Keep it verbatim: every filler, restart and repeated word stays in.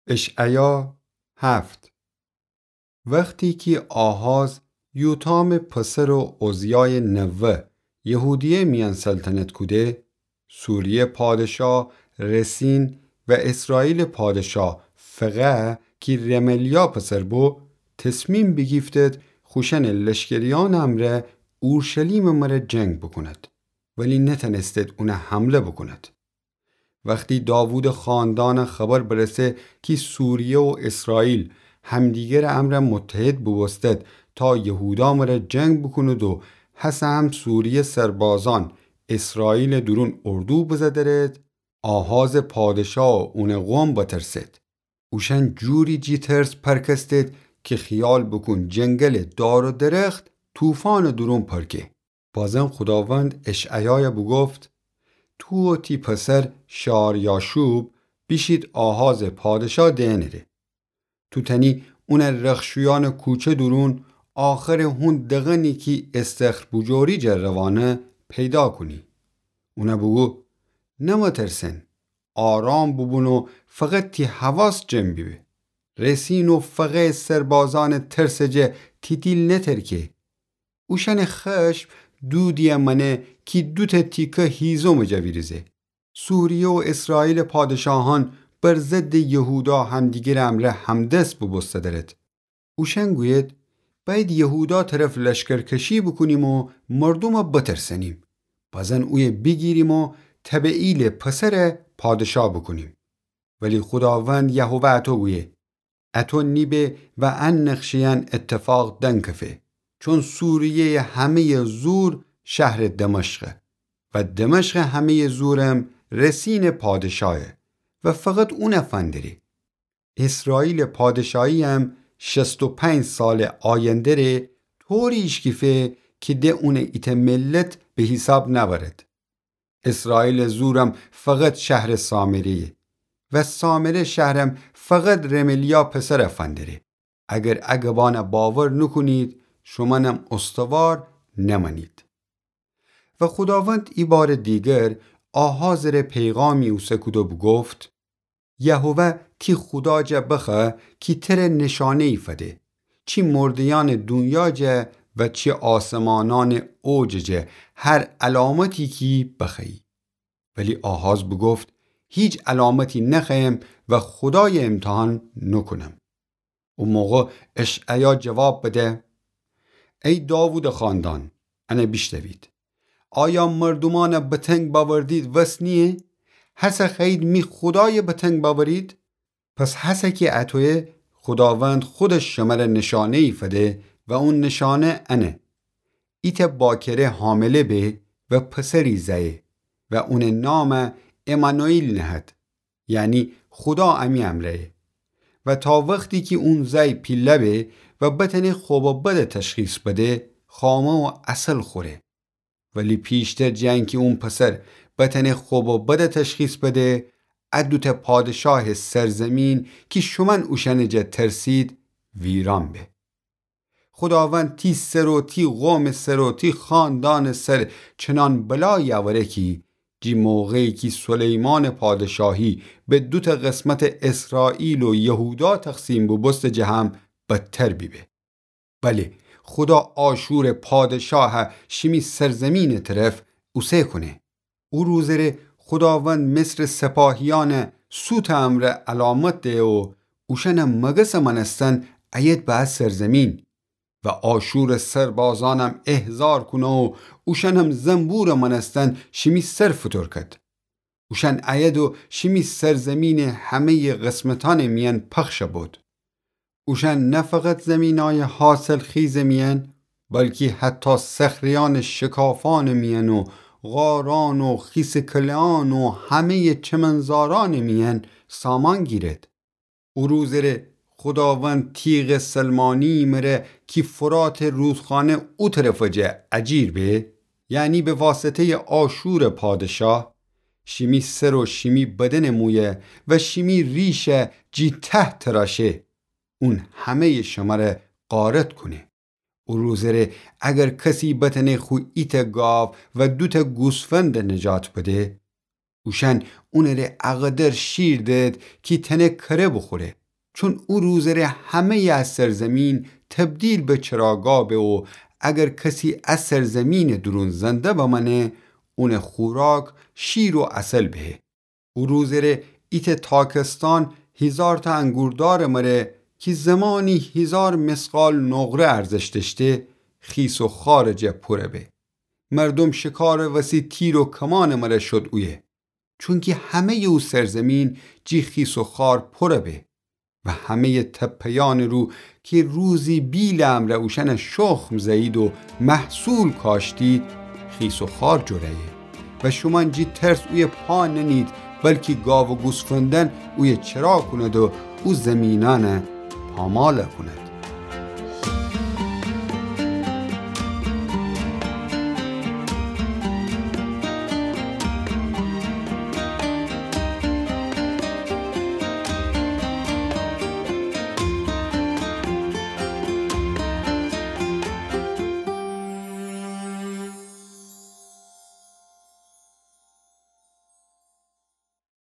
اشعیا هفت. وختی کی آحاز یوتامٚ پسر و عزیایٚ نوه یهودیه میأن سلطنت کوده، سوریه پادشا رسین و اسرائیل پادشا فقه کی رملیا پسر بو، تصمیم بیگیفتید خوشأنٚ لشکریأنٚ امرأ اورشلیمٚ مره جنگ بوکوند، ولی نتأنستید اونه حمله بوکوند. وختی داوودٚ خاندان خبر برسه کی سوریه و اسرائیل همدیگرٚ امرأ متحد بوبوستید تا یهودا مره جنگ بوکوند و هسه هم سوریه سربازأن اسرائیلٚ دورون اردو بزدرید، آحازٚ پادشا و اونٚ قوم بترسید. اوشأن جوری جی ترس پرکستید کی خیال بوکون جنگلٚ دار و درخت طوفانٚ دورون پرکه. بازم خوداوند اشعیای بوگفت: تو و تی پسر شعریاشوب بیشید آحازٚ پادشا دئنٚ ره. تو تأنی اون رخشویأنٚ کوچه دورون آخرٚ هون دغنی کی استخر بوجوری جه روانه پیدا کونی. اون بوگو: نمترسن، آرام بوبون و فقط تی حواس جمع بیبه. رسین و فقه سربازأنٚ ترسٚ جه تی دیل نترکه. اوشأنٚ خشم دودیی مأنه کی دوتأ تیکه هیزومٚ جا ویریزه. سوریه و اسرائیلٚ پادشاهأن بر ضدٚ یهودا همدیگرٚ امرأ همدست بوبوستدرید. اوشأن گویید: بأید یهودا طرف لشکرکشی بوکونیم و مردوم بترسنیم. بازن اویه بیگیریم و طبعیلٚ پسر پادشا بوکونیم. ولی خوداوند یهوه اطو گویه: اطو نیبه و ان نقشه‌یأن اتفاق دنکفه، چون سوریه‌یٚ همه‌یٚ زور شهرٚ دمشقه و دمشقٚ همه‌یٚ زورم رسینٚ پادشایه و فقط اون فندری. اسرائیلٚ پادشایی‌یم شصت و پنج سالٚ آینده ره طوری ایشکیفه کی ده اون ایتأ ملت به حیساب نأورد. اسرائیلٚ زورم فقط شهرٚ سامره‌یه و سامره شهرم فقط رملیا پسر فندره. اگر ا گبان باور نوکونید، شومأنم استوار نمأنید. و خوداوند ایبارٚ دیگر آحازٚ ره پیغامی اوسه کود و بوگفت: یهوه تی خودا جا بخوأ کی تره نشانه‌یی فده، چی مرده‌یأنٚ دونیا جا و چی آسمانأنٚ اوجٚ جا هر علامتی کی بخوأیی. ولی آحاز بوگفت: هیچ علامتی نخوأیم و خودای امتحان نوکونم. او موقع اشعیا جواب بده: ای داوودٚ خاندان، انه بیشنوید. آیا مردومأن به تنگ بأوردید وس نییه؟ هسه خوأیید می خودای به تنگ بأورید؟ پس هسه کی اطویه، خوداوند خودش شمره نشانه‌یی فده و او نشانه انه: ایتأ باکره حامله به و پسری زأیه و اونٚ نام عمانوئیل نهد، یعنی خودا امی امرأیه. و تا وختی کی اون زأی پیله به و بتأنه خوب و بد تشخیص بده، خامه و عسل خوره. ولی پیشتر جٚه انکی اون پسر بتأنه خوب و بد تشخیص بده، ا دوتأ پادشاهٚ سرزمین کی شومأن اوشأنٚ جا ترسید، ویران به. خوداوند تی سر و تی قومٚ سر و تی خاندانٚ سر چنان بلایی اوره کی، جی موقعی کی سلیمانٚ پادشاهی به دوتأ قسمتٚ اسرائیل و یهودا تقسیم بوبوسته جه هم بدتر بیبه. بله، خودا آشورٚ پادشاه شیمی سرزمینٚ طرف اوسه کونه. او روزٚ ره خوداوند مصرٚ سپاهیأن سوتٚ امرأ علامت دهه و اوشأنٚ مگسٚ مأنستن ایید به ا سرزمین. و آشورٚ سربازأنم احضار کونه و اوشأنم زنبورٚ مأنستن شیمی سر فوتور کد. اوشأن ایید و شیمی سرزمینٚ همه‌یٚ قسمتأنٚ میأن پخش بود. اوشأن نه فقط زمینأیٚ حاصلخیزٚ میأن، بلکی حتی صخره‌یأنٚ شکافأنٚ میأن و غارأن و خیسٚ کله‌یأن و همه‌یٚ چمنزارأنٚ میأن سامان گیرد. او روزٚ ره خوداوند تیغٚ سلمانیی مره کی فراتٚ رودخانه او طرفٚ جا اجیر به، یعنی به واسطه‌یٚ آشورٚ پادشاه، شیمی سر و شیمی بدنٚ مویه و شیمی ریشه جی ته تراشه، اون همه‌یٚ شمره غارت کونه. او روزٚ ره اگر کسی بتأنه خو ایتأ گاو و دوتأ گوسفند نجات بده، اوشأن اونٚ ره اقدر شیر دهد کی تأنه کره بوخوره. چون او روزٚ ره همه‌یٚ ا سرزیمین تبدیل به چراگاه به و اگر کسی ا سرزیمینٚ دورون زنده بمأنه، اونٚ خوراک شیر و عسل بهه. او روزٚ ره ایتأ تاکستان هیزارتأ انگوردارٚ مره کی زمانی هیزار مثقال نقره ارزش دأشته، خیس و خوارٚ جا پوره به. مردوم شکارٚ وسی تیر و کمانٚ مره شد اویه. چونکی همه‌یٚ او سرزیمین جی خیس و خوار پوره به و همه‌یٚ تپه‌یأنٚ رو کی روزی بیلٚ امرأ اوشأن شخم زه‌یید و محصول کاشتید، خیس و خوار جوره‌یه. و شومأن جی ترس اویه پا ننید، بلکی گاو و گوسفندأن اویه چرا کونید و او زیمینأن پامال کونید.